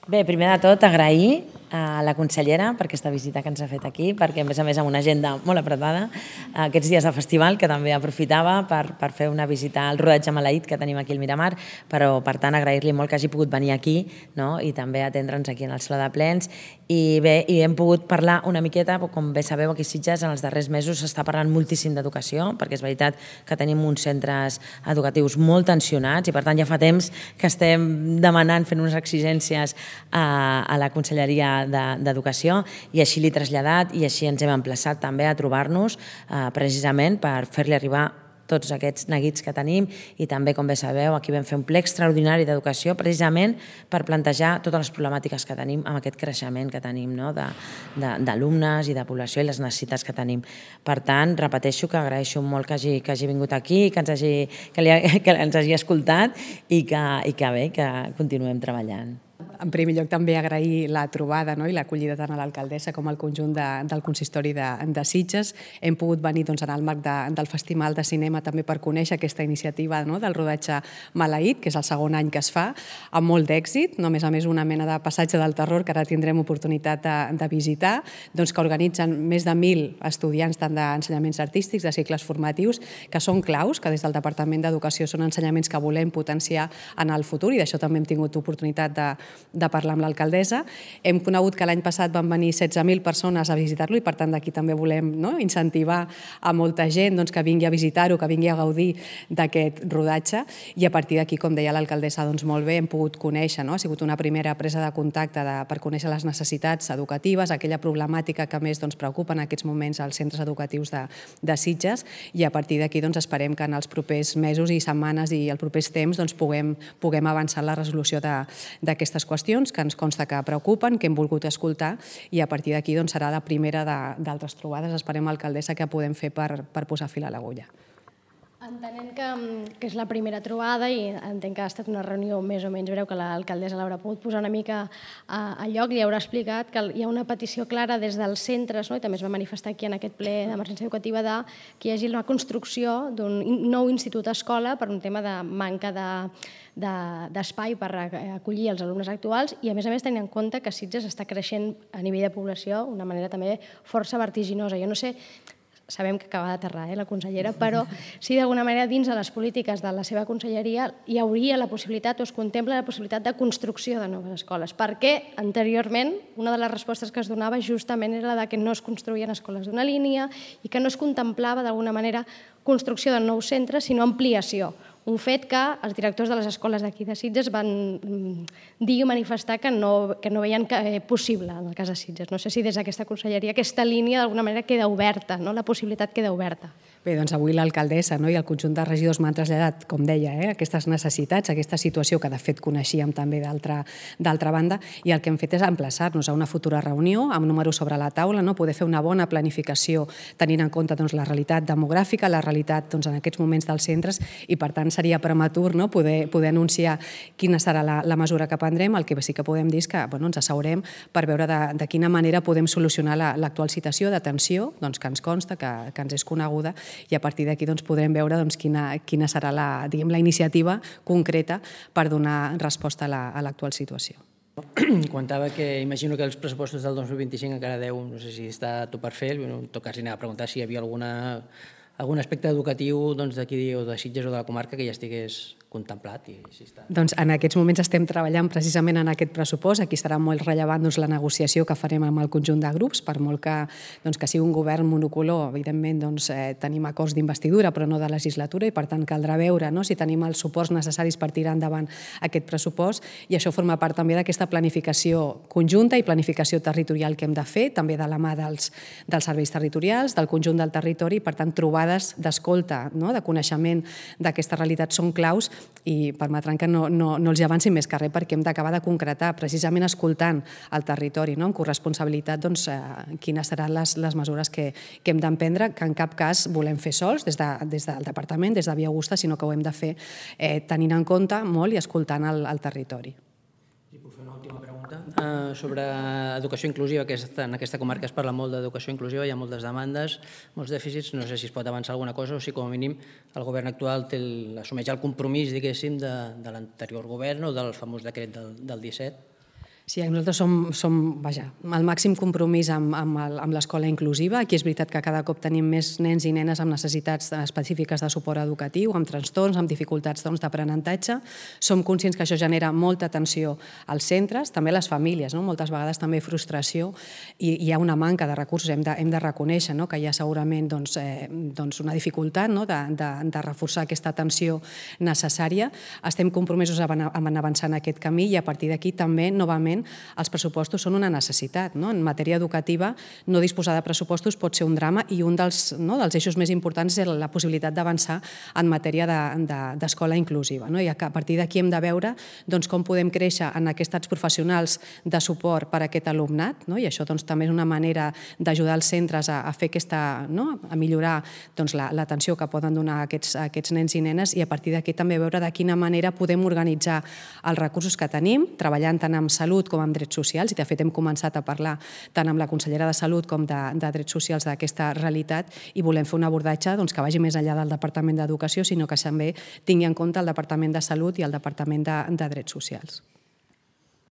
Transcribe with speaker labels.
Speaker 1: Bé, primer de tot, agrair a la consellera per aquesta visita que ens ha fet aquí, perquè a més amb una agenda molt apretada, aquests dies de festival, que també aprofitava per fer una visita al rodatge maleït que tenim aquí al Miramar, però per tant agrair-li molt que hagi pogut venir aquí, no? I també atendre'ns aquí en el Saló de Plens. I bé, hem pogut parlar una miqueta, com bé sabeu, aquí a Sitges en els darrers mesos s'està parlant moltíssim d'educació, perquè és veritat que tenim uns centres educatius molt tensionats i per tant ja fa temps que estem demanant, fent unes exigències a la Conselleria d'Educació, i així l'he traslladat i així ens hem emplaçat també a trobar-nos precisament per fer-li arribar tots aquests neguits que tenim. I també, com bé sabeu, aquí vam fer un ple extraordinari d'educació precisament per plantejar totes les problemàtiques que tenim amb aquest creixement que tenim d'alumnes i de població i les necessitats que tenim. Per tant, repeteixo que agraeixo molt que hagi vingut aquí, que ens hagi escoltat i que bé, que continuem treballant.
Speaker 2: En primer lloc, també agrair la trobada i l'acollida tant a l'alcaldessa com al conjunt del consistori de Sitges. Hem pogut venir en el marc del Festival de Cinema també per conèixer aquesta iniciativa del rodatge maleït, que és el segon any que es fa, amb molt d'èxit, a més una mena de passatge del terror que ara tindrem oportunitat de visitar, que organitzen més de 1.000 estudiants tant d'ensenyaments artístics, de cicles formatius, que són claus, que des del Departament d'Educació són ensenyaments que volem potenciar en el futur, i d'això també hem tingut oportunitat de parlar amb l'alcaldessa. Hem conegut que l'any passat van venir 16.000 persones a visitar-lo i per tant d'aquí també volem incentivar a molta gent que vingui a visitar-ho, que vingui a gaudir d'aquest rodatge, i a partir d'aquí, com deia l'alcaldessa, molt bé, hem pogut conèixer, ha sigut una primera presa de contacte per conèixer les necessitats educatives, aquella problemàtica que més preocupa en aquests moments als centres educatius de Sitges, i a partir d'aquí esperem que en els propers mesos i setmanes i els propers temps puguem avançar en la resolució d'aquestes qüestions que ens consta que preocupen, que hem volgut escoltar, i a partir d'aquí serà la primera d'altres trobades, esperem, alcaldessa, que podem fer per posar fil a l'agulla.
Speaker 3: Entenent que és la primera trobada i entenc que ha estat una reunió més o menys breu, que l'alcaldessa l'haurà pogut posar una mica a lloc, li haurà explicat que hi ha una petició clara des dels centres, i també es va manifestar aquí en aquest ple d'emergència educativa, que hi hagi la construcció d'un nou institut-escola per un tema de manca d'espai per acollir els alumnes actuals, i a més tenint en compte que Sitges està creixent a nivell de població d'una manera també força vertiginosa. Jo no sé, sabem que acaba d'aterrar la consellera, però si d'alguna manera dins de les polítiques de la seva conselleria hi hauria la possibilitat o es contempla la possibilitat de construcció de noves escoles, perquè anteriorment una de les respostes que es donava justament era la que no es construïen escoles d'una línia i que no es contemplava d'alguna manera construcció de nous centres, sinó ampliació. Un fet que els directors de les escoles d'aquí de Sitges van dir i manifestar que no veien possible en el cas de Sitges. No sé si des d'aquesta conselleria aquesta línia d'alguna manera queda oberta, la possibilitat queda oberta.
Speaker 2: Bé, avui l'alcaldessa i el conjunt de regidors m'han traslladat, com deia, aquestes necessitats, aquesta situació que de fet coneixíem també d'altra banda, i el que hem fet és emplaçar-nos a una futura reunió amb números sobre la taula, poder fer una bona planificació tenint en compte la realitat demogràfica, la realitat en aquests moments dels centres, i per tant seria prematur poder anunciar quina serà la mesura que prendrem. El que sí que podem dir és que ens asseurem per veure de quina manera podem solucionar l'actual situació de tensió, que ens consta, que ens és coneguda, i a partir d'aquí podrem veure quina serà la iniciativa concreta per donar resposta a l'actual situació.
Speaker 4: Comentava que imagino que els pressupostos del 2025 encara deu, no sé si està tot per fer, en tot cas li anava a preguntar si hi havia algun aspecte educatiu d'aquí o de Sitges o de la comarca que ja estigués contemplat.
Speaker 2: Doncs en aquests moments estem treballant precisament en aquest pressupost. Aquí serà molt rellevant la negociació que farem amb el conjunt de grups, per molt que sigui un govern monocolor. Evidentment tenim acords d'investidura però no de legislatura, i per tant caldrà veure si tenim els suports necessaris per tirar endavant aquest pressupost, i això forma part també d'aquesta planificació conjunta i planificació territorial que hem de fer, també de la mà dels serveis territorials, del conjunt del territori, i per tant trobades d'escolta, de coneixement d'aquesta realitat són claus, i permetran que no els avancin més que res, perquè hem d'acabar de concretar, precisament escoltant el territori, amb corresponsabilitat, quines seran les mesures que hem d'emprendre, que en cap cas volem fer sols des del departament, des de Via Augusta, sinó que ho hem de fer tenint en compte molt i escoltant el territori.
Speaker 4: Sobre educació inclusiva, que en aquesta comarca es parla molt d'educació inclusiva, hi ha moltes demandes, molts dèficits, no sé si es pot avançar alguna cosa o si com a mínim el govern actual assumeix el compromís, diguéssim, de l'anterior govern o del famós decret del 17.
Speaker 2: Sí, nosaltres som el màxim compromís amb l'escola inclusiva. Aquí és veritat que cada cop tenim més nens i nenes amb necessitats específiques de suport educatiu, amb trastorns, amb dificultats d'aprenentatge. Som conscients que això genera molta tensió als centres, també a les famílies, moltes vegades també frustració, i hi ha una manca de recursos. Hem de reconèixer que hi ha segurament una dificultat de reforçar aquesta atenció necessària. Estem compromesos en avançar en aquest camí i a partir d'aquí també, novament, els pressupostos són una necessitat. En matèria educativa, no disposar de pressupostos pot ser un drama i un dels eixos més importants és la possibilitat d'avançar en matèria d'escola inclusiva. I a partir d'aquí hem de veure com podem créixer en aquests professionals de suport per a aquest alumnat, i això també és una manera d'ajudar els centres a fer a millorar l'atenció que poden donar a aquests nens i nenes, i a partir d'aquí també veure de quina manera podem organitzar els recursos que tenim, treballant tant amb salut com amb drets socials, i de fet hem començat a parlar tant amb la consellera de Salut com de Drets Socials d'aquesta realitat, i volem fer un abordatge que vagi més enllà del Departament d'Educació, sinó que també tingui en compte el Departament de Salut i el Departament de Drets Socials.